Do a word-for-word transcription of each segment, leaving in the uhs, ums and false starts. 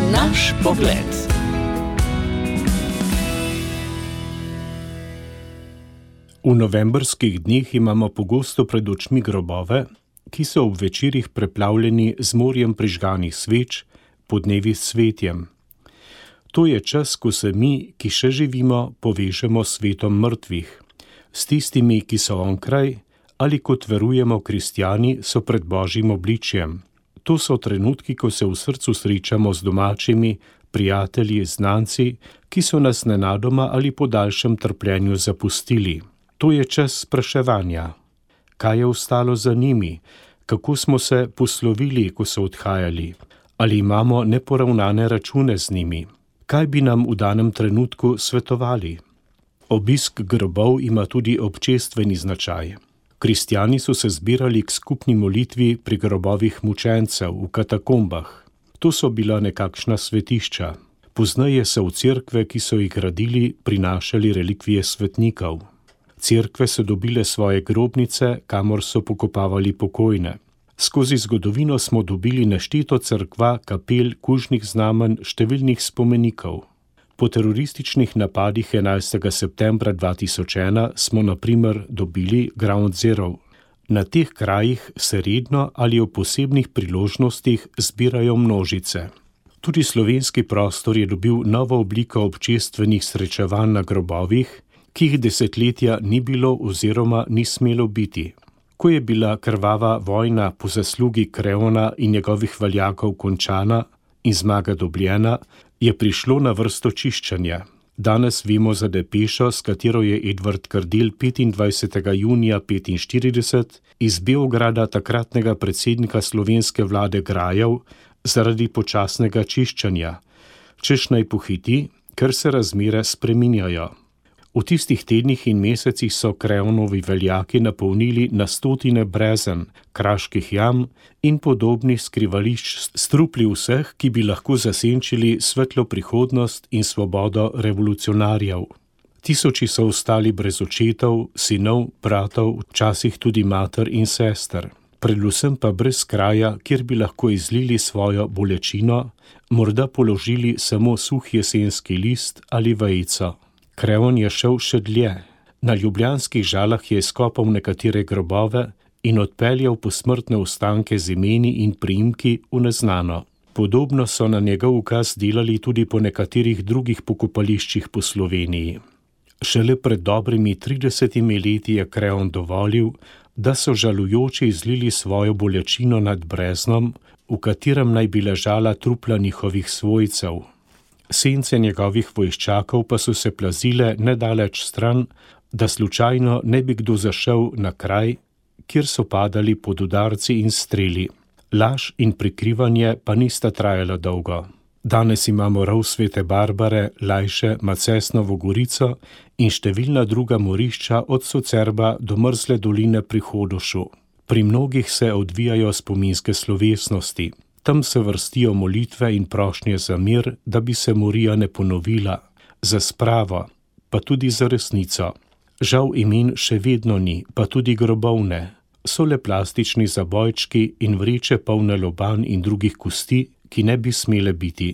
Naš pogled. V novembrskih dneh imamo pogosto pred očmi grobove, ki so ob večerih preplavljeni z morjem prižganih sveč, podnevi s cvetjem. To je čas, ko se mi, ki še živimo, povežemo s svetom mrtvih, s tistimi, ki so onkraj, ali kot verujemo kristjani, so pred Božjim obličjem. To so trenutki, ko se v srcu srečamo z domačimi, prijatelji, znanci, ki so nas nenadoma ali po daljšem trpljenju zapustili. To je čas spraševanja. Kaj je ostalo za njimi? Kako smo se poslovili, ko so odhajali? Ali imamo neporavnane račune z njimi? Kaj bi nam v danem trenutku svetovali? Obisk grobov ima tudi občestveni značaj. Kristjani so se zbirali k skupni molitvi pri grobovih mučencev v katakombah. To so bila nekakšna svetišča. Pozneje so v cerkve, ki so jih gradili, prinašali relikvije svetnikov. Cerkve so dobile svoje grobnice, kamor so pokopavali pokojne. Skozi zgodovino smo dobili nešteto cerkva, kapel, kužnih znamenj, številnih spomenikov. Po terorističnih napadih enajstega septembra dva tisoč ena smo na primer dobili Ground Zero. Na teh krajih se redno ali ob posebnih priložnostih zbirajo množice. Tudi slovenski prostor je dobil novo obliko občestvenih srečevanj na grobovih, ki jih desetletja ni bilo oziroma ni smelo biti. Ko je bila krvava vojna po zaslugi Kreona in njegovih veljakov končana in zmaga dobljena, je prišlo na vrsto čiščenja. Danes vemo za depešo, s katero je Edvard Kardelj petindvajsetega junija petinštirideset iz Beograda takratnega predsednika slovenske vlade grajal zaradi počasnega čiščenja, češ naj pohiti, ker se razmere spreminjajo. V tistih tednih in mesecih so Kreonovi veljaki napolnili na stotine brezen, kraških jam in podobnih skrivališč s trupli vseh, ki bi lahko zasenčili svetlo prihodnost in svobodo revolucionarjev. Tisoči so ostali brez očetov, sinov, bratov, včasih tudi mater in sester. Predvsem pa brez kraja, kjer bi lahko izlili svojo bolečino, morda položili samo suh jesenski list ali vejico. Kreon je šel še dlje. Na ljubljanskih Žalah je izkopal nekatere grobove in odpeljal posmrtne ostanke z imeni in priimki v neznano. Podobno so na njegov ukaz delali tudi po nekaterih drugih pokopališčih po Sloveniji. Šele pred dobrimi tridesetimi leti je Kreon dovolil, da so žalujoči izlili svojo bolečino nad breznom, v katerem naj bi ležala trupla njihovih svojcev. Sence njegovih vojščakov pa so se plazile nedaleč stran, da slučajno ne bi kdo zašel na kraj, kjer so padali pod udarci in streli. Laž in prikrivanje pa nista trajala dolgo. Danes imamo rov Svete Barbare, Lajše, Macesnovo Gorico in številna druga morišča od Socerba do mrzle doline pri Hodošu. Pri mnogih se odvijajo spominske slovesnosti. Tam se vrstijo molitve in prošnje za mir, da bi se morija ne ponovila, za spravo, pa tudi za resnico. Žal imen še vedno ni, pa tudi grobovne. So le plastični zabojčki in vreče polne lobanj in drugih kosti, ki ne bi smele biti.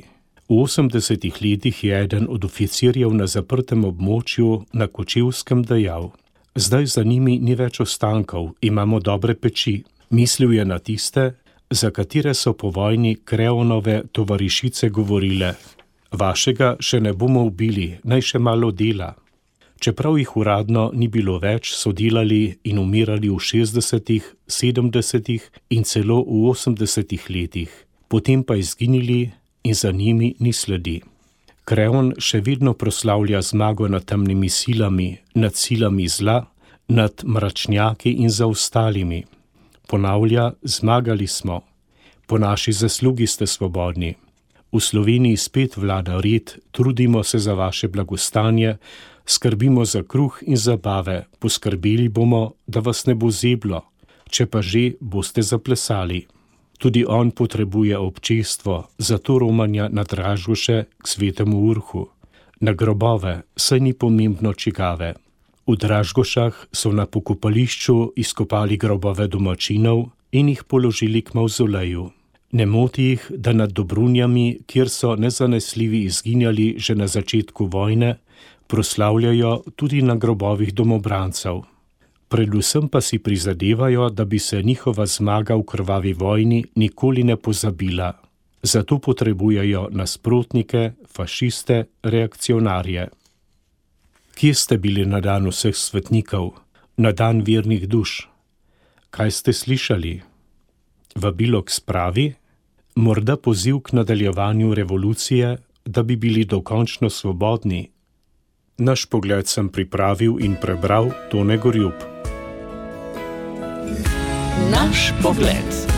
V osemdesetih letih je eden od oficirjev na zaprtem območju na Kočevskem dejal: zdaj za njimi ni več ostankov, imamo dobre peči. Mislil je na tiste, za katere so po vojni Kreonove tovarišice govorile: vašega še ne bomo ubili, naj še malo dela. Čeprav jih uradno ni bilo več, so delali in umirali v šestdesetih, sedemdesetih in celo v osemdesetih letih, potem pa izginili in za njimi ni sledi. Kreon še vedno proslavlja zmago nad temnimi silami, nad silami zla, nad mračnjaki in zaostalimi. Ponavlja: zmagali smo, po naši zaslugi ste svobodni. V Sloveniji spet vlada red, trudimo se za vaše blagostanje, skrbimo za kruh in zabave, poskrbeli bomo, da vas ne bo zeblo, če pa že, boste zaplesali. Tudi on potrebuje občestvo, zato romanja na Dražgoše k Svetemu Urhu. Na grobove, saj ni pomembno čigave. V Dražgošah so na pokopališču izkopali grobove domačinov in jih položili k mavzoleju. Ne moti jih, da nad Dobrunjami, kjer so nezanesljivi izginjali že na začetku vojne, proslavljajo tudi na grobovih domobrancev. Predvsem pa si prizadevajo, da bi se njihova zmaga v krvavi vojni nikoli ne pozabila. Zato potrebujejo nasprotnike, fašiste, reakcionarje. Kje ste bili na dan vseh svetnikov, na dan vernih duš? Kaj ste slišali? Vabilo k spravi? Morda poziv k nadaljevanju revolucije, da bi bili dokončno svobodni? Naš pogled sem pripravil in prebral Tone Gorjup. Naš pogled.